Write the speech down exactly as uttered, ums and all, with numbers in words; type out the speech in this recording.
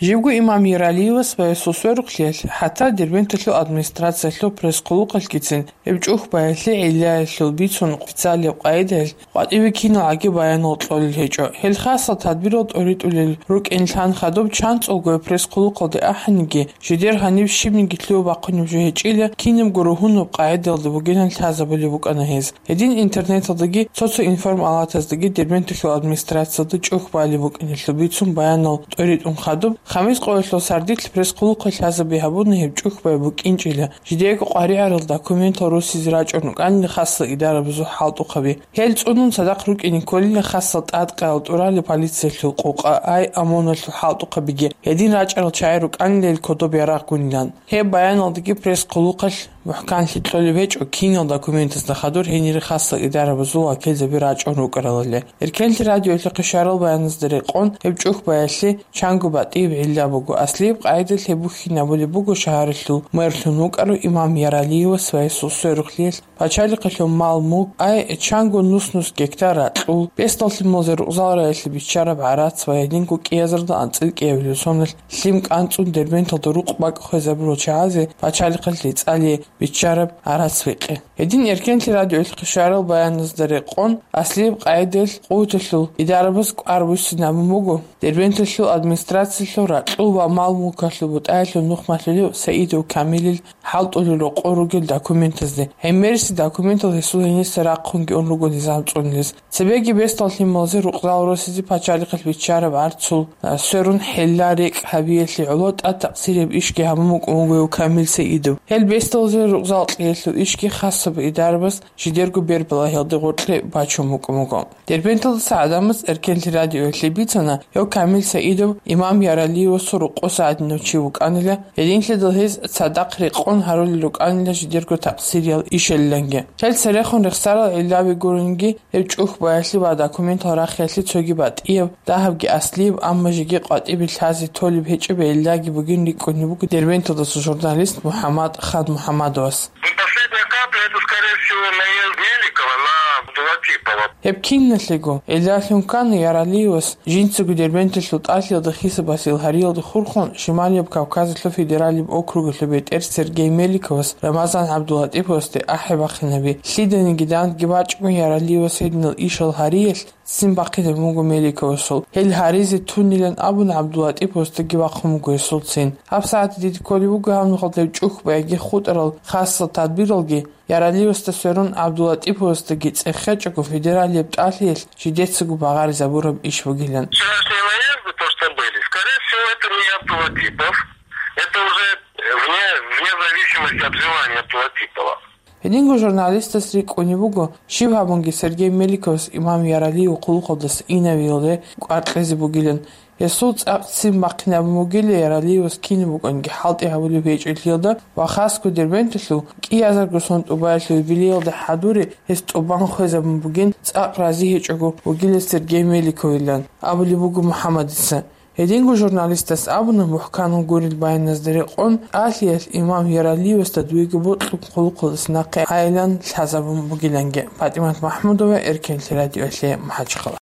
Живго имам Яралиевас ва гьесул сверухълъиялъ, хӀатта Дербенталъул администрациялъул пресс-хъулухъалъгицин гьеб чӀухӀбаялъе гӀиллаялъул бицун официалияб къагӀидаялъ къватӀиве киналгӀаги баянал кьолел гьечӀо. Гьел хасал тадбирал тӀоритӀулел рукӀин лъан хадуб чанцӀулго пресс-хъулухъалде ахӀениги, жидер гьаниб щибниги лъугьа-бахъунеб жо гьечӀила, кинабго ругьунаб къагӀидаялда бугилан лъазабулеб букӀана гьез. Гьедин интернеталдаги цо-цо информалатаздаги Дербенталъул администрациялда чӀухӀбаялъе букӀиналъул бицун баянал тӀоритӀун хадуб, Хамис къоялъул сардилъ пресс-хъулухъалъ лъазаби гьабуна гьеб чӀухӀбай букӀинчӀила, жидеего къваригӀарал документал росизе рачӀун рукӀанила хасал идарабазул хӀалтӀухъаби. Гьел цӀунун цадахъ рукӀине кколила хасал тӀадкъаял тӀуралеб полициялъул къокъа, ай, ОМОНалъул хӀалтӀухъабиги, гьедин рачӀарал чагӀи рукӀанила гьел кодоб ярагъгунилан. Гьеб баяналдаги пресс-хъулухъалъ мухӀканлъи кьолеб гьечӀо кинал документазда хадур гьенире хасал идарабазул вакилзаби рачӀун рукӀаралали. Эркенлъи радиоялъухъе щварал баяназда рекъон, гьеб чӀухӀбаялъе чанго батӀияб гӀилла буго. Аслияб къагӀидаялъ гьеб бухьинабулеб буго шагьаралъул мэрлъун вукӀарав имам Яралиевас ва гьесул сверухълъиялъ пачалихъалъул мал-мулк, ай, чанго нус-нус гектар ракьул, бесдал лъималазе рукъзал раялъе биччараб гӀарац ва гьединго кӀиазарда анцӀила кӀиабилеб соналъ лъим кӀанцӀун Дербенталда рукъ-бакӀ хвезабурал чагӀазе пачалихъалъ рецӀалие биччараб гӀарац-бикъи. Гьедин Эркенлъи радиоялъухъе щварал баяназда рекъон, аслияб къагӀидаялъ къуваталъул идарабаз кӀвар буссинабун буго Дербенталъул администрациялъул ракьул ва мал-мулкалъул бутӀаялъул нухмалъулев Саидов Камилил хӀалтӀулел рокъор ругел документазде. ГӀемерисел документал гьесул гьениса рахъунги ун руго низам цӀунулес. Цебеги бесдал лъималазе рукъзал росизе пачалихъалъ биччараб гӀарцул, а, сверун хӀилла-рекӀкӀ гьабиялъе гӀоло тӀад такъсирияб ишги гьабун букӀун буго гьев Камил Саидов. Гьел бесдалазе рукъзал кьеялъул ишги хасаб идарабаз жидерго бербалагьиялде гъоркье бачун букӀун буго. Дербенталдаса гӀадамаз Эркенлъи радиоялъе бицана, гьев Камил Саидов имам Яралиевасул рокъоса гӀадинав чи вукӀанила, гьединлъидал гьез цадахъ рекъон гьарулел рукӀанила жидерго такъсириял ишалиланги. Гьел церехун рехсарал гӀиллаби гуринги, гьеб чӀухӀбаялъе ва документал рахиялъе цоги батӀияб, дагьабги аслияб, амма жеги къватӀибе лъазе толеб гьечӀеб гӀиллаги бугин рикӀкӀунеб буго Дербенталдаса журналист МухӀаммад ХанмухӀаммадовас. И последняя капля, это, скорее всего, наезд Меликова на Абдулатипова. Гьеб киналъего гӀиллалъун ккана Яралиевас жинцаго Дербенталъул тӀалъиялда хисабасел гьариялда хурхун Шималияб Кавказалъул федералияб округалъул бетӀер Сергей Меликовас Рамазан ГӀабдулатиповасде ахӀи бахъинаби. Лъиданиги дандги бачӀун Яралиевас гьединал ишал гьариялъ ццин бахъинаб буго Меликовасул. Гьел гьаризе тунилан абун ГӀабдулатиповасдаги бахъун буго гьесул ццин. ГьабсагӀат дида кколеб буго гьаб нухалъ гьеб чӀухӀбаялъе хутӀарал хасал тадбиралги, Яралиевасда сверун ГӀабдулатиповасдаги цӀехечӀого федералияб тӀалъиялъ жидецаго багъаризабураб иш бугилан. Вчерашние наезды, то, что были, скорее всего, это не Абдулатипов. Это уже вне, вне зависимости от желания Абдулатипова. Гьединго журналистас рикӀкӀунеб буго, щиб гьабунги Сергей Меликовас имам Яралиев хъулухъалдаса инавиялде кӀвар кьезе бугилан. Гьесул цӀакъ ццин бахъинабун бугила Яралиевас кинаб букӀанги хӀалтӀи гьабулеб гьечӀолъиялда ва хасго Дербенталъул кӀиазарго сон тӀубаялъул юбилеялда хӀадуре гьес тӀубан хвезабун бугин, цӀакъ рази гьечӀого вугила Сергей Меликовилан, абулеб буго МухӀаммадица. Гьединго журналистас абуна, мухӀканал гурел баяназда рекъон, тӀалъиялъ имам Яралиевасда дуего бокьун хъулухъалдаса нахъе гӀайилан лъазабун бугиланги. ПатӀимат МахӀмудова, Эркенлъи радиоялъе, МахӀачхъала.